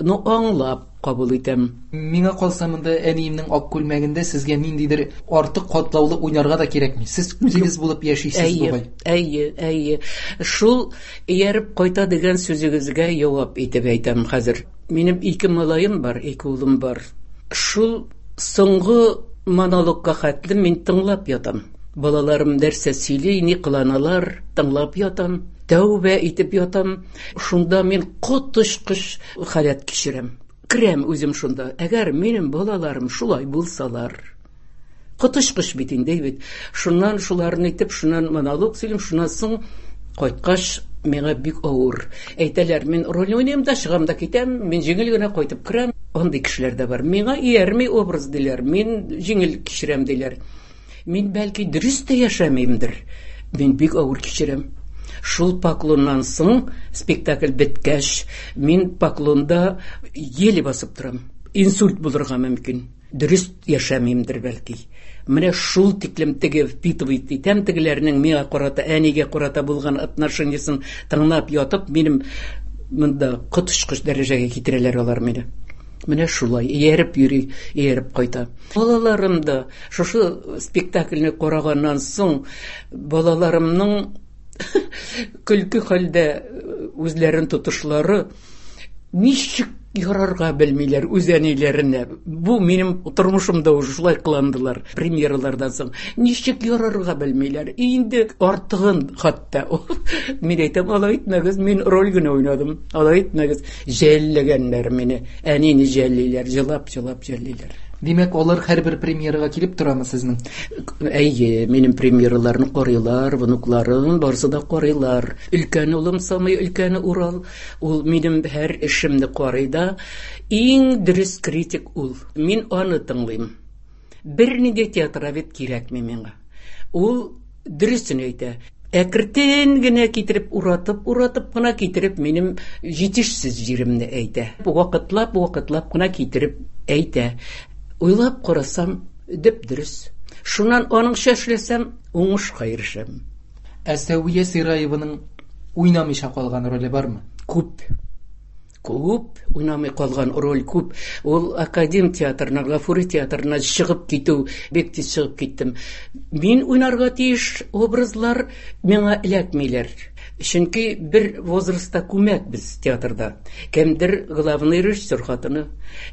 но аңлап кабул итәм. Миңа калса монда әниемнең ак күлмәгендә сезгә ниндидер артык катлаулы уйнарга да кирәкми. Сез үзегез булып яшисез бугай. Әйе, әйе. Шул ияреп кайта дигән сүзегезгә җавап итеп әйтәм хәзер. Минем ике малаем бар, ике улым бар. Шул соңгы монологка хәтле мин тыңлап ятам. Балаларым нәрсә сөйли, ни кыланалар, тыңлап ятам. Тәүбә итеп ятам. Шунда мин коточкыч халәт кичерәм. Керәм үзем шунда. Әгәр минем балаларым шулай булсалар, коточкыч бит инде бит. Шуннан шуларны итеп, шуннан монолог сөйлим, шуннан соң кайткач миңа бик авыр. Әйтәләр, мин роль уйныйм да чыгам да китәм, мин җиңел генә кайтып керәм. Андый кешеләр дә бар. Миңа иярми образ диләр, мин җиңел кичерәм диләр. Мин бәлки дөрес тә яшәмимдер. Мин бик авыр кичерәм. Шул поклоннан соң спектакль беткәч, мин поклонда еле басып торам. Инсульт булырга мөмкин. Дөрес яшәмимдер бәлки. Менә шул тиклем теге впитывать итәм тегеләрнең миңа карата, әнигә карата булган отношениясын тыңлап ятып, минем монда коточкыч дәрәҗәгә китерәләр алар мине. Менә шулай ияреп йөри, ияреп кайта. Балаларым да шушы спектакльне караганнан соң балаларымның көлке хәлдә үзләрен тотышлары ничек ярарга белмиләр үз әниләренә. Бу минем тормышымда уже шулай кыландылар премьералардан соң. Ничек ярарга белмиләр. Инде артыгын хәтта. Мин әйтәм, алай итмәгез, мин роль генә уйнадым. Алай итмәгез. Жәлләгәннәр мине. Әнине жәллиләр, җылап-җылап жәллиләр. Димәк, алар һәрбер премьерага килеп торамы сезнең? Әйе, минем премьераларны карыйлар, внукларым барысы да карыйлар. Өлкән улым, самый өлкәне Урал, ул минем һәр эшемне карый да, иң дөрес критик ул. Мин аны тыңлыйм. Бернинди театровед кирәкми миңа. Ул дөресен әйтә. Әкертен генә китереп, уратып, уратып кына китереп, минем җитешсез җиремне әйтә. Вакытлап, вакытлап кына китереп әйтә. Уйлап карасам, дөп-дөрес. Шуннан аныңча эшләсәм, уңышка ирешәм. Ә Сәвия Сираеваның уйнамыйча калган роле бармы? Күп. Күп, уйнамый калган роль күп. Ул академ театрына, Гафури театрына чыгып китү, бик тиз чыгып киттем. Мин уйнарга тиеш образлар миңа эләкмиләр. Чөнки бер возрастта күмәк без театрда. Кемдер главный режиссер хатыны,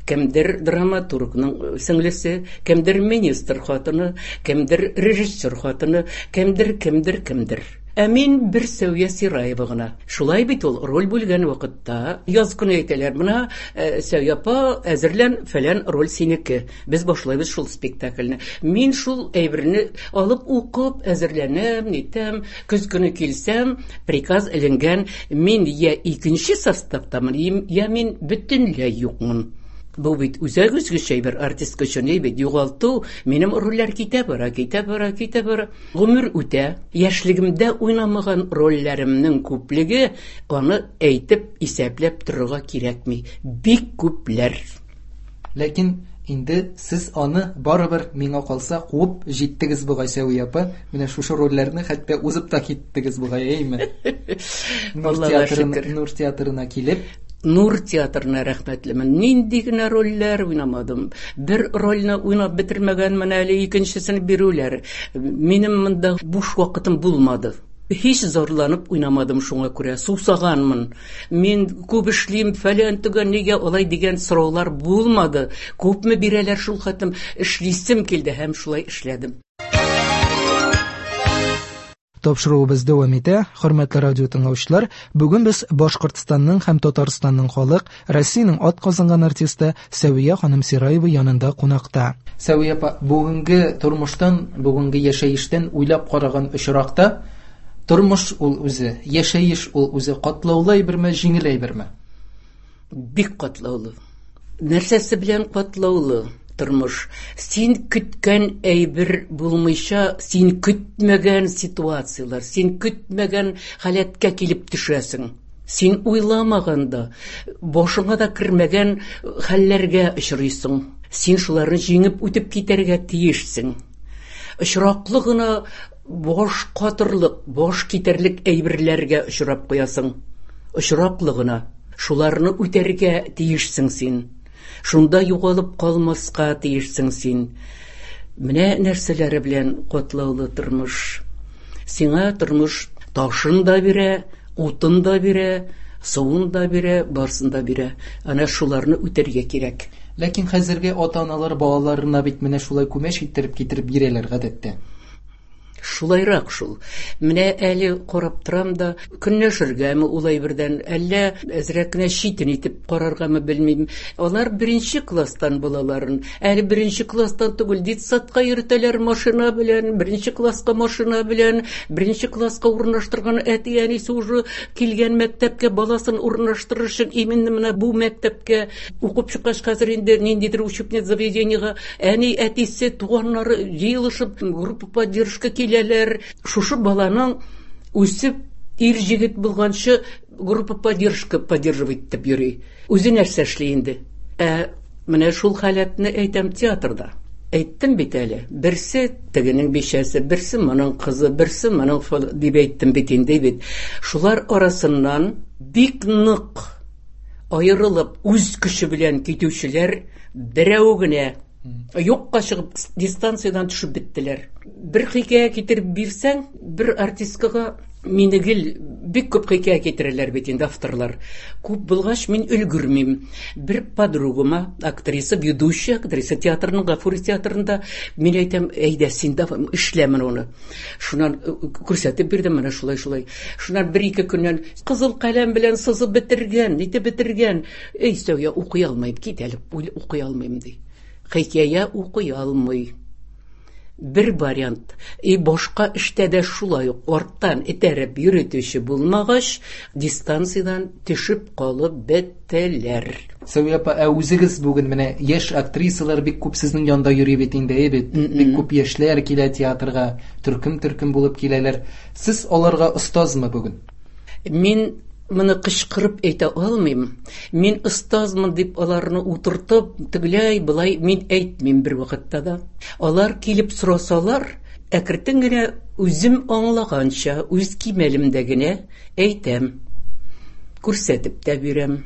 кемдер драматургның сеңлесе, кемдер министр хатыны, кемдер режиссер хатыны, кемдер, кемдер, кемдер. Ә мин бер Сәвия Сираева гына. Шулай бит ул роль бүлгән вакытта яз көне әйтәләр, менә Сәвия апа, әзерлән, фәлән роль синеке. Без башлайбыз шул спектакльне. Мин шул әйберне алып укып, әзерләнәм, нитәм. Көз көне килсәм, приказ эленгән, мин я икенче составтамын, я мин бөтенләй юкмын. Бу бит үзәк өзгеч әйбер, артистка өчен бит югалту, минем рольләр китә бара, китә бара, китә бара. Гомер үтә. Яшьлегемдә уйнамаган рольләремнең күплеге, аны әйтеп, исәпләп торырга кирәкми. Бик күпләр. Ләкин инде сез аны барыбер миңа калса куып җиттегез бугай, Сәвия апа. Менә шушы рольләрне хәтта узып та киттегез бугай, әйме? Нур театрына, Нур театрына килеп, Нур театрына рәхмәтлемен. Нинди генә рольләр уйнамадым. Бер рольне уйнап бетермәгәнмен әле, икенчесен бирүләр. Минем монда буш вакытым булмады. Һич зарланып уйнамадым шуңа күрә. Сусаганмын. Мин күп эшлим, фәлән төгән, нигә алай дигән сораулар булмады. Күпме бирәләр шул хәтлем, эшлисем килде һәм шулай эшләдем. Тапшыруыбыз дәвам итә. Хөрмәтле радио тыңлаучылар, бүген без Башкортстанның һәм Татарстанның халык, Россиянең атказанган артисты Сәвия ханым Сираева янында кунакта. Сәвия апа, бүгенге тормыштан, бүгенге яшәештән уйлап караган очракта, тормыш ул үзе, яшәеш ул үзе катлаулы әйберме, җиңел әйберме? Бик катлаулы. Нәрсәсе белән катлаулы? Тормыш. Син көткән әйбер булмыйча, син көтмәгән ситуациялар, син көтмәгән халәткә килеп төшәсең. Син уйламаганда, башыңа да кермәгән хәлләргә очрыйсың. Син шуларны җиңеп үтеп китәргә тиешсең. Очраклы гына баш катырлык, баш китәрлек әйберләргә очрап куясың. Очраклы гына шуларны үтәргә тиешсең син. Шунда югалып калмаска тиешсең син. Менә нәрсәләре белән катлаулы тормыш. Сиңа тормыш ташын да бирә, утын да бирә, суын да бирә, барсын да бирә. Ана шуларны үтәргә кирәк. Ләкин хәзерге ата-аналар балаларына бит менә шулай күмәч иттереп китереп бирәләр гадәттә. Шулайрак шул. Менә әле карап торам да, көнләшергәме ул әйбердән, әллә әзрәк кенә читен итеп караргамы белмим. Алар беренче класстан балаларын, әле беренче класстан түгел, детсадка йөртәләр машина белән, беренче класска машина белән, беренче класска урнаштырган әти-әнисе уже килгән мәктәпкә баласын урнаштырыр өчен именно менә бу мәктәпкә укып чыккач хәзер инде ниндидер учебный заведениега әни, әтисе, туганнары җыелышып группа поддержка килә. Шушы баланың үсеп ир җегет булганчы группа поддержка поддерживать итеп йөри. Үзе нәрсә эшли инде? Ә менә шул халәтне әйтәм театрда. Әйттем бит әле. Берсе тегенең бичәсе, берсе моның кызы, берсе моның дип әйттем бит инде бит. Шулар арасыннан бик нык аерылып үз көче белән китүчеләр берәү генә юкка чыгып дистанциядән төшеп беттеләр. Бер хикәя китереп бирсәң, бер артисткага мине гел бик күп хикәя китерәләр бит инде авторлар. Күп булгач мин өлгермим. Бер подругама, актриса, ведущая актриса театрының, Гафури театрында, мин әйтәм, әйдә син дә эшләмен аны. Шуннан күрсәтеп бирдем менә шулай шулай. Шуннан бер-ике көннән кызыл каләм белән сызып бетергән, нитеп бетергән. Эй, Сәвия, укый алмыйм, кит әле, укый алмыйм ди. хикәя укый алмый. Бер вариант. И башка эштә дә шулай ук арттан этәреп йөрүче булмагач, дистанциядән төшеп калып беттеләр. Сәвия апа, ә үзегез бүген менә яшь актрисалар бик күп сезнең янда йөри бит инде, әй бит. Бик күп яшьләр килә театрга, төркем-төркем булып киләләр. Сез аларга остазмы бүген? Мин моны кычкырып әйтә алмыйм. Мин остазмын дип аларны утыртып, тегеләй былай мин әйтмим бер вакытта да. Алар килеп сорасалар, әкрен генә үзем аңлаганча, үз кимәлемдә генә әйтәм. Күрсәтеп тә бирәм.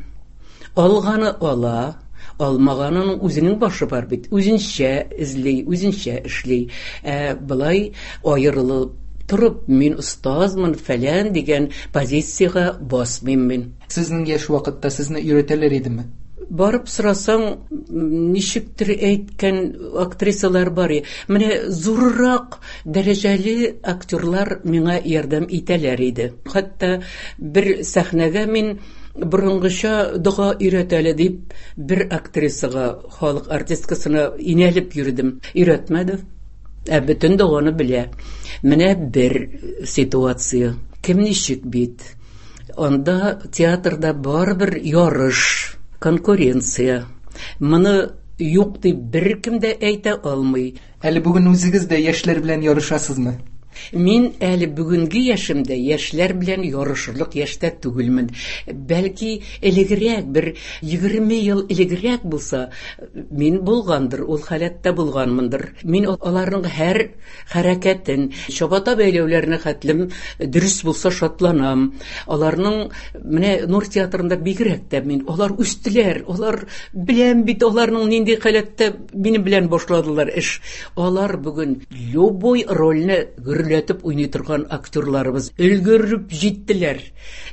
Алганы ала, алмаганының үзенең башы бар бит. Үзенчә эзли, үзенчә эшли. Ә былай аерылып торып, мин остазмын фәлән дигән позициягә басмыйм мин. Сезнең яшь вакытта сезне өйрәтәләр идеме? Барып сорасаң, ничектер әйткән актрисалар бар. Менә зуррак дәрәҗәле актерлар миңа ярдәм итәләр иде. Хәтта бер сәхнәгә мин борынгыча дога өйрәтәле дип бер актрисага, халык артисткасына инәлеп йөрдем. Өйрәтмәде. Ә бөтен доганы белә. Менә бер ситуация. Кем ничек бит? Анда театрда барыбер ярыш, конкуренция. Моны юк дип беркем дә әйтә алмый. Әле бүген үзегез дә яшьләр белән ярышасызмы? Мин әле бүгенге яшемдә яшьләр белән ярышырлык яшьтә түгелмен. Бәлки элегрәк, бер егерме ел элегрәк булса, мин булгандыр, ул халәттә булганмындыр. Мин аларның һәр хәрәкәтен, чабата бәйләүләренә хәтлем дөрес булса шатланам. Аларның менә Нур театрында бигрәк тә мин, алар үстеләр, алар беләм бит аларның нинди халәттә минем белән башладылар эш. Алар бүген любой рольне гөрләтеп уйный торган актерларыбыз өлгереп җиттеләр.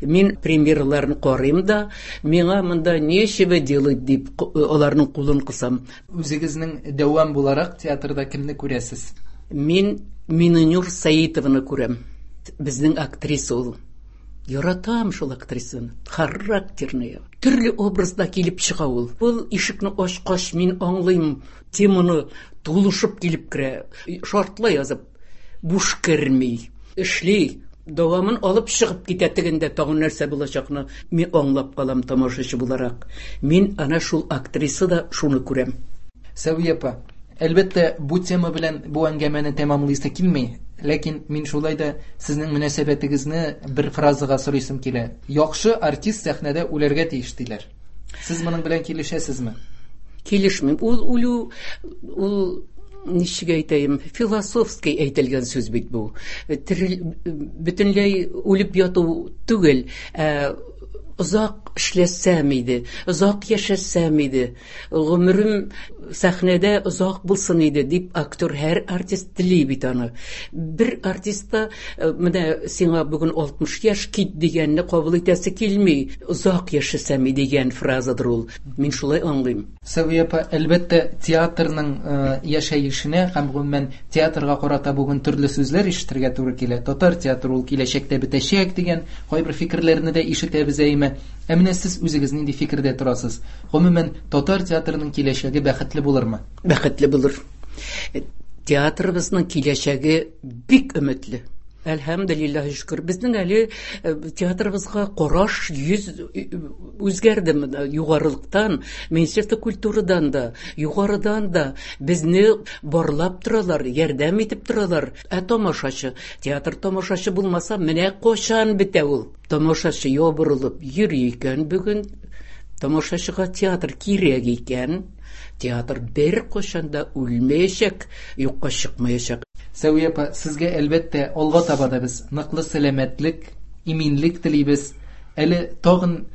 Мин премьераларын карыйм да, миңа монда нечего делать дип аларның кулын кысам. Үзегезнең дәвам буларак театрда кемне күрәсез? Мин Минненур Саитованы күрәм. Безнең актриса ул. Яратам шул актрисаны. Характерная. Төрле образда килеп чыга ул. Ул ишекне ачкач мин аңлыйм, теманы тулышып килеп керә. Шартлай язып буш керми. Эшли, дәвамын алып чыгып китә тегендә тагын нәрсә булачакны мин аңлап калам тамашачы буларак. Мин ана шул актриса да шуны күрәм. Сәвия апа, әлбәттә, бу тема белән бу әңгәмәне тәмамлыйсы килми, ләкин мин шулай да сезнең мөнәсәбәтегезне бер фразага сорыйсым килә. Яхшы артист сәхнәдә үләргә тиеш диләр. Сез моның белән килешәсезме? Килешмим. Ул үлү, ул ничек әйтәем, философский әйтелгән сүз бит бу. Бөтенләй үлеп яту түгел, ә озак эшләсәм иде, озак яшәсәм иде, гомерем сәхнәдә озак булсын иде дип актер, һәр артист тели бит аны. Бер артист та менә сиңа бүген алтмыш яшь кит дигәнне кабул итәсе килми. Озак яшәсәм иде дигән фразадыр ул. Мин шулай аңлыйм. Сәвия апа, әлбәттә, театрның яшәешенә һәм гомумән театрга карата бүген төрле сүзләр ишетергә туры килә. Татар театры ул киләчәктә бетәчәк дигән кайбер фикерләрне дә ишетәбез әйме. Ә менә сез үзегез нинди фикердә торасыз? Гомумән, татар театрының киләчәге бәхетле булырмы? Бәхетле булыр. Театрыбызның киләчәге бик өметле. Әлхәмдүлилләһ, шөкер. Безнең әле театрыбызга караш йөз үзгәрде югарылыктан, Министерство культурадан да, югарыдан да безне барлап торалар, ярдәм итеп торалар. Ә тамашачы, театр тамашачы булмаса, менә кайчан бетә ул. Тамашачы ябырылып йөри икән бүген, тамашачыга театр кирәк икән, театр бер кайчан да үлмәячәк, юкка чыкмаячак. Сәвия апа, сезгә әлбәттә алга таба да без ныклы сәламәтлек, иминлек телибез. Әле тагын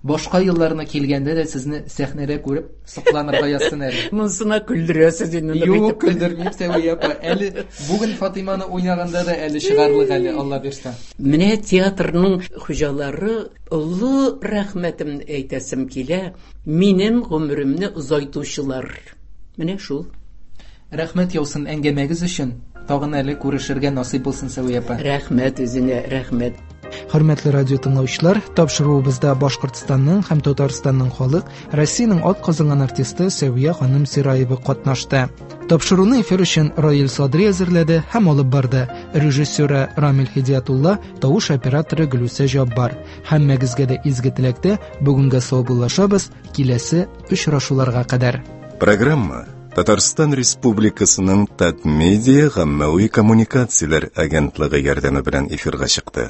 башка елларына килгәндә дә сезне сәхнәдә күреп сокланырга язсын әле. Монсына көлдерәсез инде. Юк, көлдермим, Сәвия апа. Әле бүген Фатиманы уйнаганда да әле чыгарлык әле, Алла бирсә. Менә театрның хуҗалары, олы рәхмәтемне әйтәсем килә, минем гомеремне озайтучылар. Менә шул. Рәхмәт яусын әңгәмәгез өчен. Тагын әле күрешергә насыйп булсын, Сәвия апа. Рәхмәт үзеңә, рәхмәт. Хөрмәтле радио тыңлаучылар, тапшыруыбызда Башкортстанның һәм Татарстанның халык, Россиянең атказанган артисты Сәвия ханым Сираева катнашты. Тапшыруны эфир өчен Раил Садри әзерләде һәм алып барды. Режиссеры Рамил Хидиятулла, тавыш операторы Гөлүсә Җаббар. Һәммәгезгә дә изге теләктә бүгенгә саубуллашабыз, киләсе очрашуларга кадәр. Программа Татарстан Республикасының Татмедиа гаммәви коммуникацияләр агентлыгы ярдәме белән эфирга чыкты.